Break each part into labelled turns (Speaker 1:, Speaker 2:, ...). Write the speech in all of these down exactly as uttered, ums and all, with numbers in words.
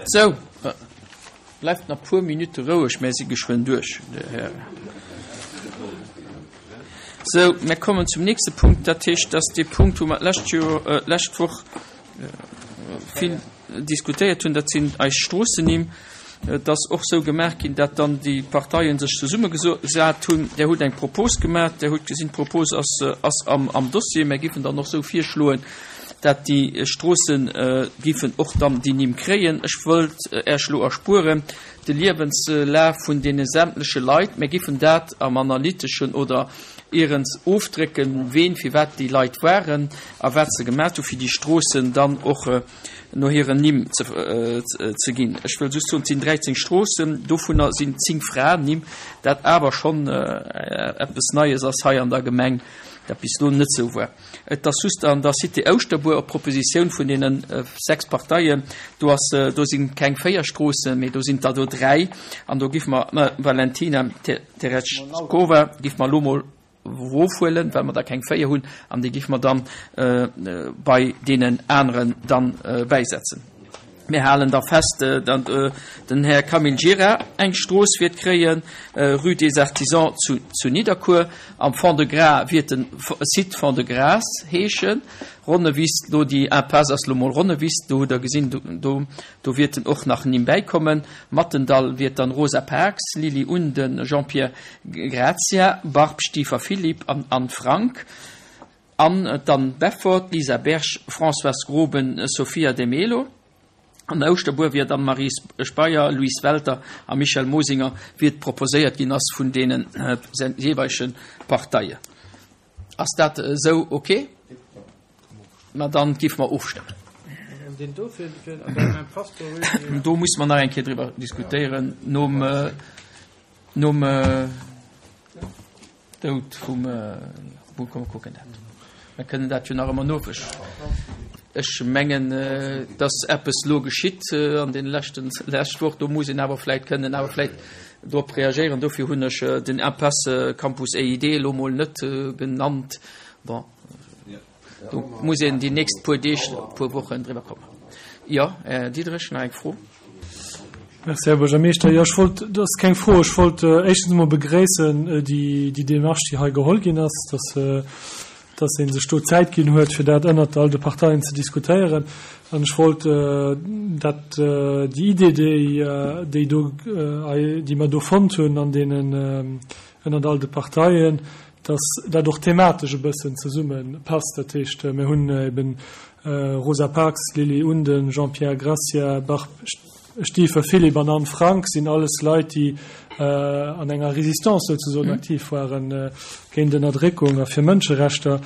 Speaker 1: Sou, bleift nach puer Minutte roueg, mär si geschwënn duerch, Dir Hären. Sou, mär kommen zum nächste Punkt, dat heescht, dass dee Punkt, wou mer d'lescht Joer, d'lescht Woch vill diskutéiert hunn, dat sinn eis Stroossennimm. Et ass och sou gemaach ginn, dat dann déi Parteien sech zesummegesat hunn. Där hutt eng Propos gemaach, Där hutt gesinn, d'Propos ass, ass am, am Dossier. Mär giffen dann och sou virschloen, dat déi Stroosse giffen och dann déi Nimm kréien. Ech wëllt Äech elo erspueren de Liewenslaf vun deene sämtleche Leit. Mär giffen dat am Analyteschen oder ierens ofdrécken, ween, firwat déi Leit waren a wat se gemat hu fir déi Stroossen dann och no hiren Nimm ze ginn. Ech wëll just soen, et sinn dräizéng Stroossen, dovunner sinn zéng Fraennimm, dat awer schonn eppes Neies ass hei an der Gemeng, dat bis elo net esou war. Et ass just an der Cité Ouschterbuer op Propositioun vun deene sechs Parteien, do ass, do si keng véier Stroossen, mee do sinn der do dräi an do giffe mer d'Mme Valentina Terechkova giffe mer elo mol erofhuelen, well mer der keng véier hunn, an déi giffe mer dann bei deenen aneren dann bäisetzen. Mir halen da fest, datt den Här Camille Gira eng Strooss wäert kréien, Rue des Artisans zu, zu Nidderkuer. Am Fond-de-Gras wäert de Site Fond-de-Gras heeschen. Ronnewiss, do déi Impasse ass lo mol Ronnewiss, do hutt Der gesinn, do, do, do wäerten och nach Nimm bäikommen. Mattendall wäert dann Rosa Parks, Lily Unden, Jean-Pierre Grazia, Barb Stiefer Philippe an Anne Frank. An dann Beffort, Lisa Berg, Françoise Groben, Sophia De Melo. An Ouschterbuer wier dann Marie Speyer, Louise Welter a Michel Mosinger, wéi et proposéiert ginn ass vun deene jeeweilege Parteien. Ass dat esou ok? Ma dann géife mer ofstëmmen. Do musse mer nach eng Kéier driwwer diskutéieren nom, nom Doud vum, komm mer kucken dat. Mer kënnen dat jo nach ëmmer nofech. Ech mengen, dass eppes elo geschitt an deene leschten, lescht Woch. Do muss een awer vläicht, kënnen awer vläicht drop reagéieren. Dofir hunn ech den Impasse Campus E I D elo mol net genannt. Bon, do muss een déi nächst puer Deeg, puer Wochen driwwer kommen. Jo, Här Diderich, nach eng Fro?
Speaker 2: Merci, Här Buergermeeschter. Jo, ech wollt, dat ass keng Fro, ech wollt éischtens emol begréissen déi, déi Démarche, déi hei geholl ginn ass, dass, dass ee sech do Zäit ginn huet, fir dat ënnert all de Parteien ze diskutéieren. An ech wollt dat, déi Idee, déi, déi do, déi mer do fonnt hunn an deenen, ënnert all de Parteien, dass dat och thematesch e bëssen zesumme passt. Dat heescht, mir hunn eben Rosa Parks, Lily Unden, Jean-Pierre Gracia, Barb Stiefer Philippe an Anne Frank sinn alles Leit, déi an enger Résistance souzesoen aktiv waren géint Ënnerdréckung a fir Mënscherechter.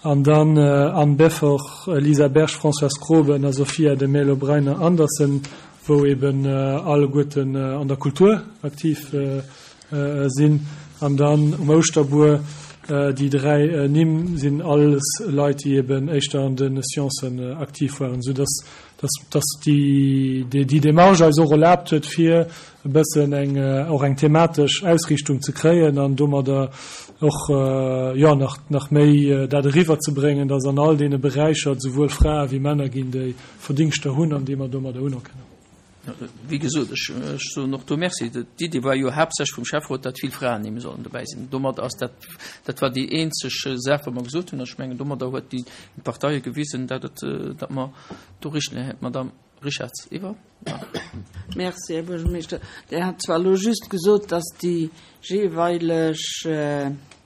Speaker 2: An dann Anne Beffort, Lisa Berg, Françoise Groben a Sophia de Mello Breiner Andersen, wou eben alleguerten an der Kultur aktiv sinn. An dann um Ouschterbuer déi dräi Nimm sinn alles Leit, déi eben éischter an de Sciencen aktiv waren, sou dass dass dass déi déi Démarche eis och erlaabt huet, fir e bëssen eng och eng thematesch Ausriichtung ze kréien an domadder och jo nach nach méi dat eriwwer ze bréngen, dass an all deene Beräicher et souwuel Frae wéi Männer ginn, déi Verdingschter hunn an déi mer domadder unerkennen.
Speaker 1: Wéi gesot, ech soen och do Merci. D'Idee war jo haaptsächlech vum Schäfferot, datt vill Fraen sollen dobäi sinn. Domadder ass dat, dat war déi eenzeg Saach, wou mer gesot hunn. Ech mengen, domadder huet déi Parteie gewisen, datt et, datt mer do richteg, Madame Richards, iwwer.
Speaker 3: Merci, Här Buergermeeschter. Der hat zwar elo just gesot, datt déi jeeweileg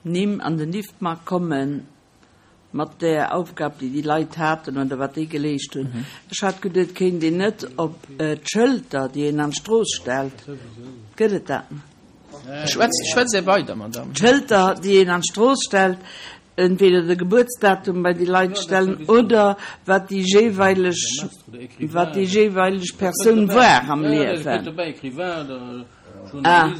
Speaker 3: Nimm an den Liftmark kommen, mat der Aufgab, déi déi Leit haten oder wat déi geleescht hunn. Ech hat geduet, kéint een net op d'Schëlter, déi een an d'Strooss stellt, gëtt et dat?
Speaker 1: Schwätzt, schwätzt Dir weider, Madame.
Speaker 3: D'Schëlter, déi een an d'Strooss stellt, entweder de Gebuertsdatum bei déi Leit stellen oder wat déi jeeweileg, wat déi jeeweileg Persoun war am Liewen. Ah,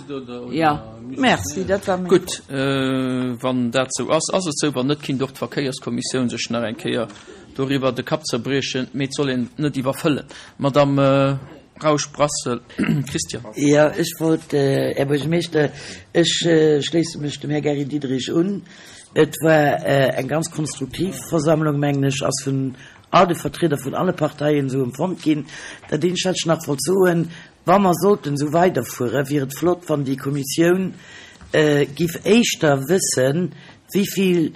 Speaker 3: ja, merci, dat war meng
Speaker 1: Gutt, wann dat sou ass, ass et sou. Wann net, kinnt och d'Verkéierskommissioun sech nach eng Kéier doriwwer de Kapp zerbriechen, mee et soll een net iwwerfëllen. Madame Rausch-Brassel Christiane.
Speaker 4: Jo, ech wollt, Här Buergermeeschter, ech schléisse mech dem Här Gary Diderich un. Et war eng ganz konstruktiv Versammlung, mengen ech, ass vun all de Vertrieder vun alle Parteien esou empfonnt ginn. Dat eenzegt, wat ech nach wollt soen, Wa mer sollten esou weiderfueren, wier et flott, wann déi Kommissioun giff éischter wëssen, wéivill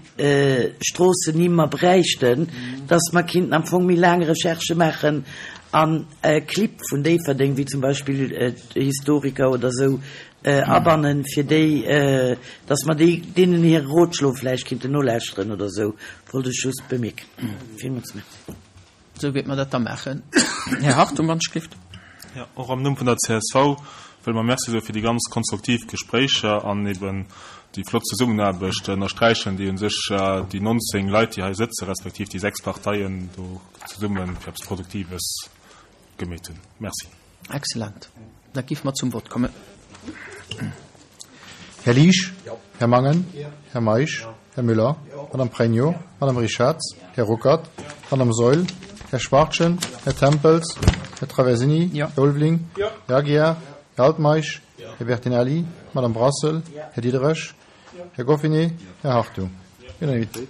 Speaker 4: Stroossennimm mer bräichten, dass mer kinnten am Fong méi laang Recherchë maachen an Clibb vun Déifferdeng, wéi zum Beispill Historiker oder esou, abannen, fir déi, dass mer déi, deenen hire Rotschlo vläicht kinnten nolauschteren oder esou, wollt ech just bemierken. Villmools Merci.
Speaker 1: Esou wäerte mer dat da maachen. Här Hartung, wann ech gelift.
Speaker 5: Jo, och am Numm vun der csv wëlle mer Merci soe fir déi ganz konstruktiv Gespréicher an eben déi flott Zesummenaarbecht ënnersträichen, déi u sech déi nonzéng Leit, déi hei sëtzen, respektiv déi sechs Parteien do zesumme fir eppes Produktives gemeet hunn. Merci.
Speaker 1: Excellent. Da géife mer zum Vott kommen.
Speaker 6: Här Liesch? Här Mangen? Här Meisch? Här Müller? Madame Pregno? Madame Richarz? Här Ruckert? Madame Saeul? Här Schwachtgen? Här Tempels? Här Traversini?
Speaker 1: Här
Speaker 6: Ulveling? Här Aguiar? Här Altmeisch? Här Bertinelli? Madame Brassel? Här Diderich? Här Goffinet? Här Hartung? Unanimitéit.